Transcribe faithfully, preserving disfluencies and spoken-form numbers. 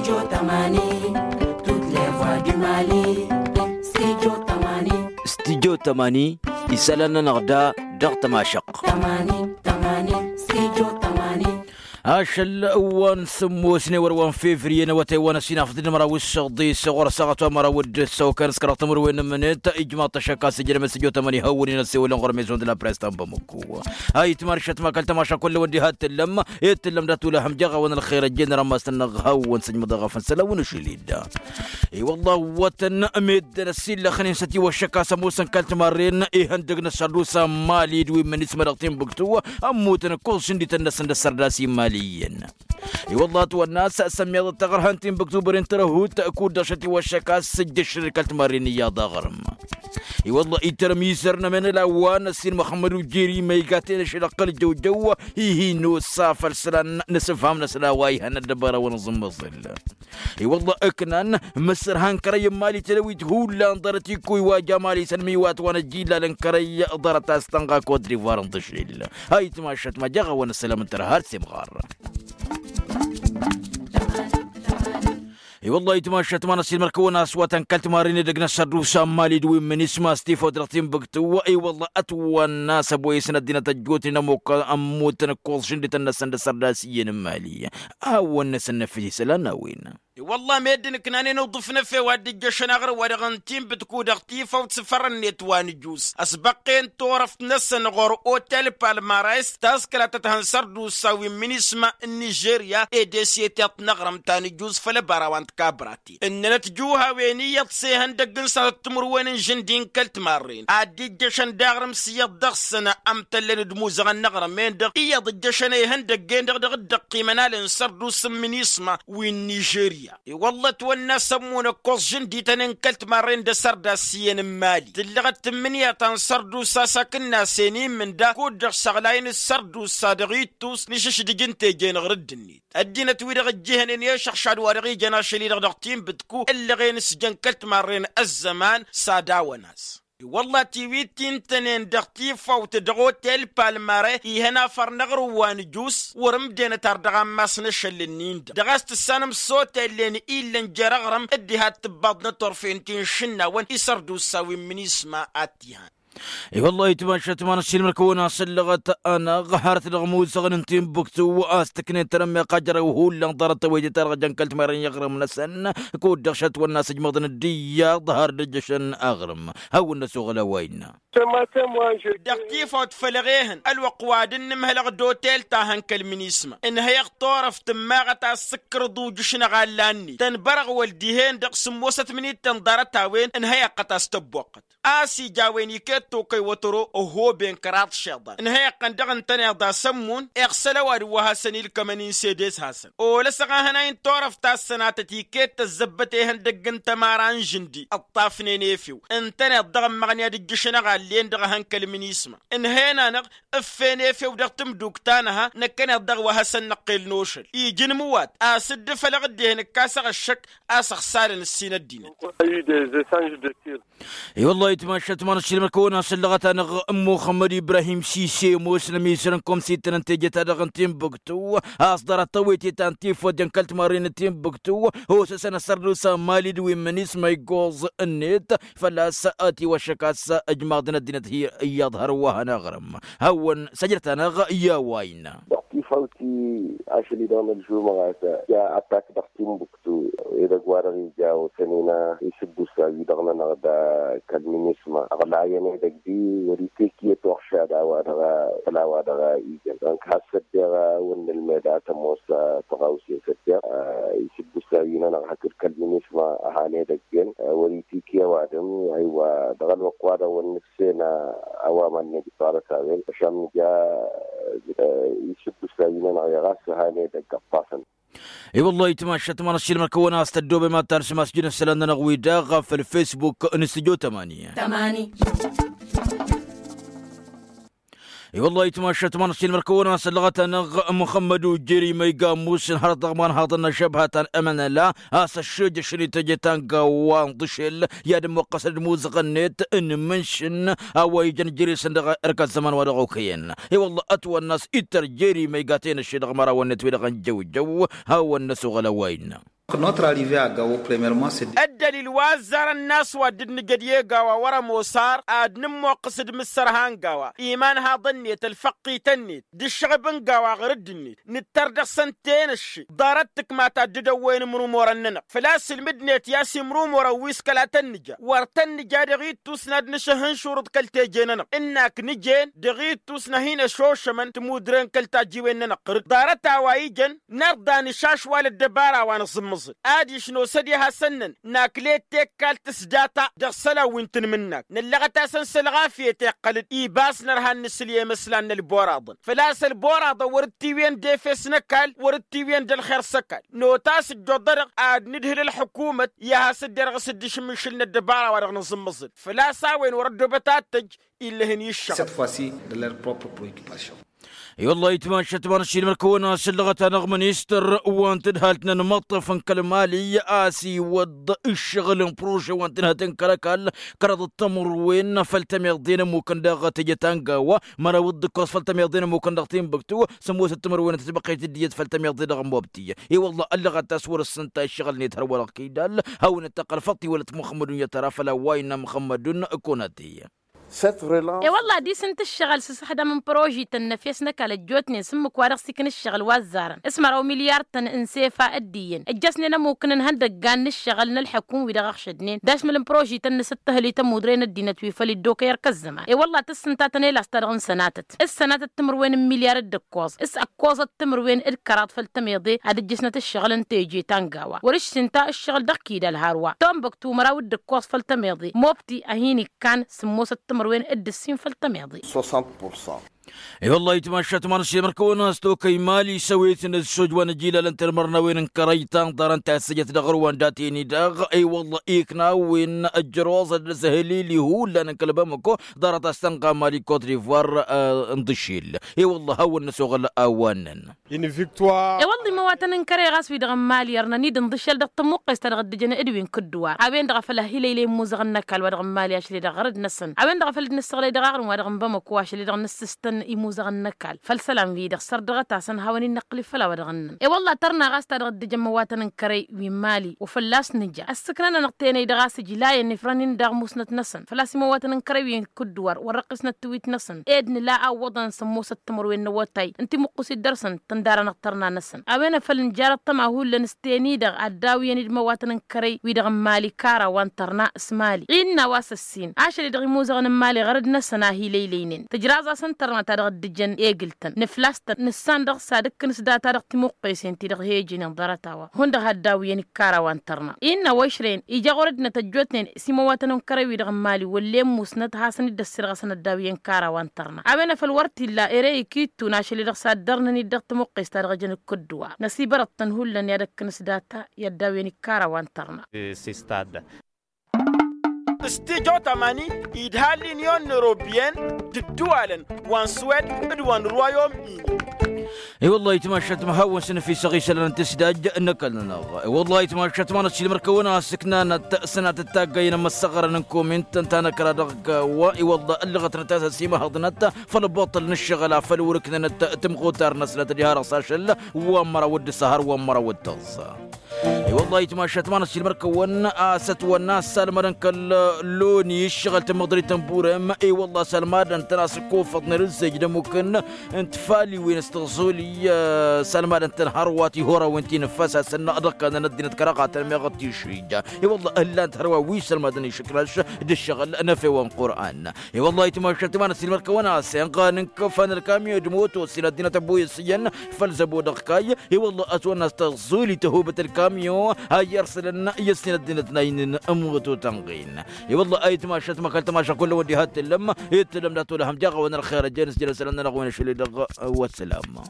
Studio tămani. Studyo tămani. Isălan-nănăɣ da dăɣ-tămašăqq. Ašăl wa n-sǝmmosne wăr-wa n-fevriye n-awătay wa n-ăsinafăt d-măraw s-săɣḍis ɣur-săɣăt wa măraw d-săwkan s-kăraɣ tămărwen n-mănet ijmaḍ-t ăššăk a-s ǝjrăm s-studio tămani hawăn-in ăssewălăn ɣur-mezon d-la press ta n-bamăkku. Ayǝtmar šăt ma kăl-tămaša kull-wăn diha t-tǝllăm. Ed tǝllăm dat-ulăhăm jaɣ-awăn ălxer ăjjeen rămas-tăn-năɣ hawăn-săjmăḍ eɣăf n-isălan wi n-ašăl-i-dd. I-wălla awătăn meddǝn ăsillăxnen s-ătiwăššăk a-s ămoosăn kăl-timarren ihăndăg n-ăssărdusa n-mali d-wi n-imǝnisma dăɣ-tinbǝktu. Ămmutăn ǝkkoẓ šǝndităn-năsăn d-ăssărdas i-mali iyyăn. I-wălla ătwănna a-s sămmiḍăt taɣărha n-tinbǝktu băren tărăhut kud-dăɣ šătiwăššăk a-s ǝjjăššăd kăl-timarren iyyăḍ aɣrǝm. I-wălla itărmizăr n-ămenăla wa n-ăssin muxămmăd ujjeri ma iga tenăšăl ăqqăl jăwjăw. Ihi n-osa făll-isălan n-asǝfham n-asălan wa ihăn ăddăbara wa n-aẓǝmmăẓǝl. I-wălla ǝknan mǝsărhan kărăy n-mali tălăwit hullan ḍarăt ikkuy wa ja mali s-ănmiwat wa n-ăjjillalăn kărăy ḍarăt a-s tănɣa kot-divar n-tǝšlil. Ayǝtmašăt ma jaɣ-awăn ăssălam n-tărha ar s-imɣar. I-wălla ayǝtmašăt ma n-ăssiilmăr-kăwăn a-s wa tăn-kăl-timarren edăgg n-ăssărdusa n-mali d-wi n-imǝnisma s-tifawt dăɣ-tinbǝktu. I-wălla ătwănna a-s ăboyăsăn ăddinăt ăjjootnen ămmutăn ǝkkoẓ šǝndităn-năsăn d-ăssărdas iyyăn n-mali. A-wăn-năsăn năfis isălan n-a-wen. I-wălla meddǝn ǝknanen uḍǝf n-efew ad-dd-ǝjjăšăn aɣrǝm wa dăɣ-n tinbǝtku dăɣ-tifawt s-ifăr-net wa nǝjus ăsbăqqen turăft-năsăn ɣur-otel palmares taskăla tăt-hăn sărdusa wi n-minisma n-nižerya ed eset iḍt n-aɣrǝm ta nǝjus făll-ăbara wa n-tikabrate ǝnnănăt juhawen iyyăḍ s-ehăndăgg n-sănatăt timǝrwen n-žǝndi n-kăl-timarren ad-dd-ǝjjăšăn d-aɣrǝm s-iyyăḍ dăɣ-săn ămtăllăn d-imuzăɣăn n-aɣrǝm-en-dăɣ iyyăḍ ǝjjăšăn a ihăndăgg-en-dăɣ dăɣ-dd-ăqqimăn alăn sărdusa n-minisma wi n-nižerya. I-wălla ătwănna a-s ămmun ǝkkoẓ žǝndităn n-kăl-timarren d-asărdas iyyăn n-mali tǝllăɣăt tǝmmǝnǝya ta n-sărdusa s-akǝnnasen immǝnda kud-dăɣ săɣlayăn d-sărdusa dăɣ-ittus n-išǝšdǝj n-teje n-aɣrǝdd-net ăddinăt-wi-dăɣ ǝjjǝhnen i-ašăɣšad wa dăɣ-ijăn ašăl-i-dăɣ dăɣ-tinbǝtku ǝllăɣen s-jăn kăl-timarren ăzzăman s-ad-awăn-as. I-wălla tiwit ti ǝntănen dăɣ-tifawt dăɣ-otel palmare ihăn afăr n-aɣrǝm wa nǝjus wăr-ǝmdenăt ar dăɣ-ammas n-ašăl-ǝnnin-dăɣ dăɣ-a-s tǝssanăm s-otellen illăn jer-aɣrǝm dd-iha d-tǝbbaḍnăt turfen ti n-išǝnnawăn isărdusa wi n-minisma ad-t-ihan. I-wălla ayǝtmašăt ma n-ăssiilmăr-kăwăn a-s ăllăɣăt-anăɣ hărăt dăɣ-imuzăɣăn n-tinbǝktu a-s tǝknen tărămmeɣ ajărew hullan ḍarăt tawăyte-ta-dăɣ jăn kăl-timarren i-aɣrǝm-năsăn. Kud-dăɣ šătwănna a-s ǝjmăḍăn dd-iyyăḍ har dd-ǝjjăšăn aɣrǝm. Hawăn-năsoɣăl a-wa innă. Dăɣ-tifawt făll-eɣehăn ălwăqq wa dd-nǝmhălăɣ d-otel ta hăn kăl-minisma ǝnhăyăɣ turăft ǝmmaɣăt a-s s-ǝkkărăḍ ujǝš n-aɣalla-net tănbărăɣwăl dihen-dăɣ sǝmmosăt minittăn ḍarăt-a-wen ǝnhăyăɣ-tăt a-s tăbboqqăt a-s ija a-wen iket tokăy wătăro ăhoben kăraḍ išiḍan ǝnhăyăɣ-tăn dăɣ-ǝntăneḍ a-s ămmun iɣsăl ăwadǝm wa hasăn-ilkămăn-in s-edes-hasăn olăsăɣ ahănay n-turăft ta s-sănatăt iket tăzzăbbăt ehăndăgg n-tămara n-žǝndi ǝṭṭafnen efew ǝntăneḍ dăɣ-ămmăɣnǝy ad-ǝjjǝšăn aɣallen-dăɣ a hăn kăl-minisma ǝnhăyăn-anăɣ ǝffen efew dăɣ-tǝmduk ta nǝha năkkăneḍ dăɣ-wa hasăn-năqqel n-ošăl iji n-imǝwat a-s dd-fălăɣ dd-ehăn ǝkkasăɣ ăššăk a-s ăxsalăn ǝssin ăddinăt. I-wăllah ayǝtmašăt ma n-ăssiilmăr-kăwăn a-s ăllăɣăt-anăɣ n-muxămmăd ibrahim sise ămoosăn ămizăr n-komsităn n-teje-ta-dăɣ n-tinbǝktu a-s ḍarăt tawăyte ta n-tifăt jăn kăl-timarren n-tinbǝktu osăsăn ăssărdusa n-mali d-wi n-minisma iggoẓ-net făl-a-s ătiwăššăk a-s ǝjmaḍăn ăddinăt hi-iyyăḍ hărwa hanăɣrǝm hawăn-săjdăt-anăɣ i-a-wa innă. Dăɣ-tifawt-i ašăl-i-dăɣ n-ălžumăɣat ja atak dăɣ-tinbuktu edăgg-wa-dăɣ ija osăn-in isǝbbusa-wi-dăɣ-nănăɣ da kăl-minisma ăɣlayăn edăgg-i wăr-itekiyăt uɣšad a-wa-dăɣ făll-a-wa-dăɣ ijăn dăɣ-nănăɣ has-săddeɣ a wăr nǝlmed ad-tămoos tăɣawse săddeɣ isǝbbusa-wi-nănăɣ hakd kăl-minisma a han edăgg-en wăr-itiki ăwadǝm. Aywa dăɣ-ălwăqq-wa-dăɣ wăr nǝfsen a-wa mannăj ḍarăt-a-wen ăšam nǝja isǝbbusa-wi-nănăɣ i-ɣas han edăgg ăṭṭafăn. I-wăllah ayǝtmašăt ma n-ăssiilmăr-kăwăn a-s tăddoobem ad-talsăm asjǝn isălan-nănăɣ-wi-dăɣ făll-fesbuk n-studyo tămani. I-wăllah ayǝtmašăt ma n-ăssiilmăr-kăwăn a-s ăllăɣăt-anăɣ muxămmăd ujjeri ma iga ămmusăn hărăt dăɣ-imanhaḍăn n-ašăbhăt ta n-amănăla a-s ăššejăšăn ităjăt anga wa n-ḍǝšel i-ad-ămmuqqăsăn d-imuzăɣăn-net n-imǝnšǝn a-wa ijăn jere-săn dăɣ-erk ăzzăman wa dăɣ-okăyăn. I-wăllah ătwănna a-s ittăr jere ma iga tenăšše dăɣ-imărawăn-net wi-dăɣ n-jăwjăw hawăn-năsoɣăl a-wa innă. Notre arrivée à Gao, premièrement, c'est ăddălil wa ăzzarăn n-a-s wa dd-nǝjăd i-e-gawa wăr-ămoos ar ad-nǝmmoqqǝs d-imǝssărha n-gawa, imanhaḍăn-net ălfăqqităn-net d-ǝššăɣǝb n-gawa ɣur-dd-net. Nǝttăr dăɣ-săn tenăšše ḍarăt tǝkma ta dd-ăwwăyăn imrumorăn-nănăɣ făl-a-s ǝlmǝdnet i-a-s imrumorăn wi s-kăla tăn-nǝja. Wăr tăn-nǝja dăɣ-ittus n-ad-nǝšăhhǝn šurǝḍ kăl-teje-nănăɣ ǝnn'-ak nǝjen dăɣ-ittus n-ad-hin-ăšošămăn timudre n-kăl-tajjiwen-nănăɣ ɣur-dd ḍarăt a-wa ijăn. N-ărḍa nǝšašwal ăddăbara wa nǝẓǝmmǝẓǝl adiš nosăd i-hasăn-năn nakle tekkal tǝsdata dăɣ-isălan wi n-tanmǝnnakt năllăɣăt-asăn s-ălɣafyăt iqqăl-dd ibas nărha n-nǝsǝl i-emăslan n-ălboraḍăn făl-a-s ălboraḍăn wăr-dd-tiwǝyăn d-efes n-ăkall wăr-dd-tiwǝyăn d-ălxer s-ăkall. Notas ǝjjoḍănăɣ ad-nǝdhǝl ălxukumăt i-ad-has-dd-irɣǝs dd-išǝmmǝšǝl n-ăddăbara wa dăɣ-nǝẓǝmmǝẓǝl făl-a-s a-wen wăr-ăddoobăt ad-tăjj illăhăn iššăɣ. Cette fois-ci de leur propre préoccupation. I-wăllah ayǝtmašat ma n-ašilmăr kăwăn-asǝllăɣăt-anăɣ ministăr wa n-tadhalt n-anmăṭṭăf n-kăl-mali a-s iwăḍ ǝššăɣǝl n-prože wa n-tǝnhăt n-kăl-ăkall kăraḍăt timǝrwen făll-tămiḍe n-ămmukăn daɣ teje ta n-gawa măraw d-ǝkkoẓ făll-tămiḍe n-ămmukăn dăɣ-tinbǝktu. Sămoosăt timǝrwen n-tătbăqqet d-iyyăt făll-tămiḍe dăɣ-mobti i-wăllah ăllăɣăt a-s wăr-ǝssǝnta iššăɣǝl-net hărwa dăɣ-kidal hawăn-dd-tăqqăl făṭṭi wăla t-muxămmădun i-ad-tăra făll-a-wa innă muxămmădun. Kunăti. E-wălla ad-isǝnt ǝššăɣǝl s-asăxdam n-prožităn n-efes n-ăkall ăjjootnen s-ǝmmǝk wa dăɣ-s ikna ǝššăɣǝl wa ăzzarăn s-măraw milyar-tăn n-sefa dd-iyyăn ǝjjăsnen ămmukăn n-ihăndăggan n-ǝššăɣǝl n-ălḥăkum wi dăɣ-ăɣšădnen d-ašmǝl n-prožităn n-asǝttăhǝl i-tămudre n-ăddinăt wi făl iddokăy ărkăzzăman. E-wălla tǝssǝntatăn elas ta dăɣ-n sănatăt s-sănatăt timǝrwen n-milyar d-ǝkkoẓ s-ǝkkoẓăt timǝrwen d-kăraḍ făll-tămeḍe ad-ǝjjǝsnăt ǝššăɣǝl n-teje ta n-gawa wăr-ǝššǝnta ǝššăɣǝl dăɣ-kidal hărwa. Tombăktu măraw d-ǝkkoẓ făll-tămeḍe mobti a hin-ikkan sǝmmosăt timǝrwen d-ǝssin făll-tămeḍe. I-wăllah ayǝtmašat ma n-ašilmăr kăwăn-as tokăy mali s-ăwet n-ăssoj wa n-ăjilalăn tălmărnawen n-kărăy ta n-ḍarăn tasǝjăt dăɣ-ărwa n-dat-en-i-dăɣ. I-wăllah ikna a-wen ăjjăroẓăt d-asăhǝlil i-hullan n-kăl-bamăko ḍarăt a-s tănɣa mali kot-divoir. N-dăšil i-wăllah hawăn-năsoɣăl a-wa ǝnnăn. I-wălla imăwatăn n-kăre ɣas wi-dăɣ n-mali ărnăn-dd ǝnḍǝšel dăɣ-tămuqqes ta dăɣ-dd-ǝjăn d-wi n-kǝddǝwar a-wen-dăɣ a făl ăhilăylăy imuzăɣăn n-ăkall wa dăɣ-n mali ašăl-i-dăɣ ɣărăd-năsăn a-wen-dăɣ a făl dd-nǝssăɣlăy dăɣ-aɣrǝm wa dăɣ-n bamăko ašăl-i-dăɣ nǝssǝstăn imuzăɣăn n-ăkall făll-isălan-wi-dăɣ sărdăɣăt-asăn hawăn-in-năqqǝl i-făll-a-wa dăɣ-ǝnnăn. I-wălla tărna ɣas ta dăɣ-dd-ǝjăn imăwatăn n-kăre wi n-mali wa fălla-s nǝja ăssǝknăn-anăɣ tenăy-dăɣ a-s ǝjlayăn ifrăn-in daɣ musnăt-năsăn făl-a-s imăwatăn n-kăre wi n-kǝddǝwar wăr-răqqisnăt tiwit-năsăn ed nǝla a ǝwwăḍăn sămmosăt timǝrwen n-awătay n-timuqqǝsit dăr-săn tǝndarănăɣ tărna-năsăn. A-wen a făl nǝjarăt tăma hullan s-ten-i-dăɣ ad-dd-awǝyăn d-imăwatăn n-kărăy wi-dăɣ n-mali kara wa n-tărna s-mali ɣinna wa s-ăssin ašăl-i-dăɣ imuzăɣăn n-mali ɣărăd-năsăn a hi-lăylăynen tǝjraẓ-asăn tărna ta dăɣ-dd-ǝjăn egǝl-tăn nǝflas-tăn nǝssan dăɣ-s ad-ǝkkǝn s-data dăɣ-timuqqesen-ti-dăɣ he-ǝjǝnen ḍarăt-a-wa hundăɣ ad-dd-awǝyăn d-kara wa n-tărna. Innă wa išrăyăn ija ɣur-ăddinăt ăjjootnen s-imăwatăn n-kărăy-wi-dăɣ n-mali wăllen musnăt hasăn-dd-ăssirɣăsăn ăddaw i-ănkara wa n-tărna a-wen a făl wăr t-illa ere ikittun ašăl-i-dăɣ s-ad-dărnăn-dd dăɣ-tămuqqes ta dăɣ-ejăn d-kădduwar năsibărăt-tăn hullan i-ad-ăkkăn s-data i-ăddaw i-ănkara wa n-tărna. S-tijot amani idhal l'union européenne d-ǝddǝwalăn wa n-suwed d-wa n-ruwayom-ini. I-wăllah ayǝtmašat ma hawăn-săn ăfisăɣ isălan n-tǝsdaj n-ăkall-nănăɣ. I-wăllah ayǝtmašat ma n-ăssiilmăr-kăwăn-asǝknanăt sănatăt taggăyăn ămăssăɣărăn n-komint ǝnta n-ăkra dăɣ-gawa. I-wăllah ǝllăɣătnăt a-s ăsimăhăḍnăt făll-ăbboṭṭăl n-ǝššăɣǝl a făl-wăr-ǝknănăt timɣutar-năsnăt diha-dăɣ s-ašăl wa n-măraw d-ǝssăhăr wa n-măraw d-tăẓẓa. I-wăllah ayǝtmašat ma n-ăssiilmăr-kăwăn a-s ătwănna assalmădăn kăl-loni ǝššăɣǝl tămăḍrit n-burem. I-wăllah assalmadăn-tăn a-s ǝkkofăḍnen ǝzzej d-ămmukăn n-tfaliwen s-tăẓẓuli. Assalmadăn-tăn hărwa tihurawen ti n-ǝffăs-asăn dăɣ-kannăn ăddinăt kăraɣatăn meɣ ăttišrija. I-wăllah ǝllan-t hărwa wi sălmadăn išǝkrăš d-ǝššăɣǝl n-efewa n-qur'an. I-wăllah ayǝtmašat ma n-ăssiilmăr-kăwăn a-s inɣan n-kăfan ălkamyo d-moto s-in ăddinăt ăbuyăs iyyăn făll-zăbo dăɣ-kayy. I-wăllah ătwănna a-s tăẓẓuli tăhubăt ălkamyo a iyyăr sălăn i-ăssin ăddinăt n-a innăn ămmutu tănɣin. I-wăllah ayǝtmašat ma kăl-tămaša kullăn wăddi ha t-tǝllăm i-t-tǝllăm dat-olăhăm jaɣ-awăn ălxer ăjjeen s-jălăsălăn-nănăɣ wen ašăl-i-dăɣ. Wăssălam.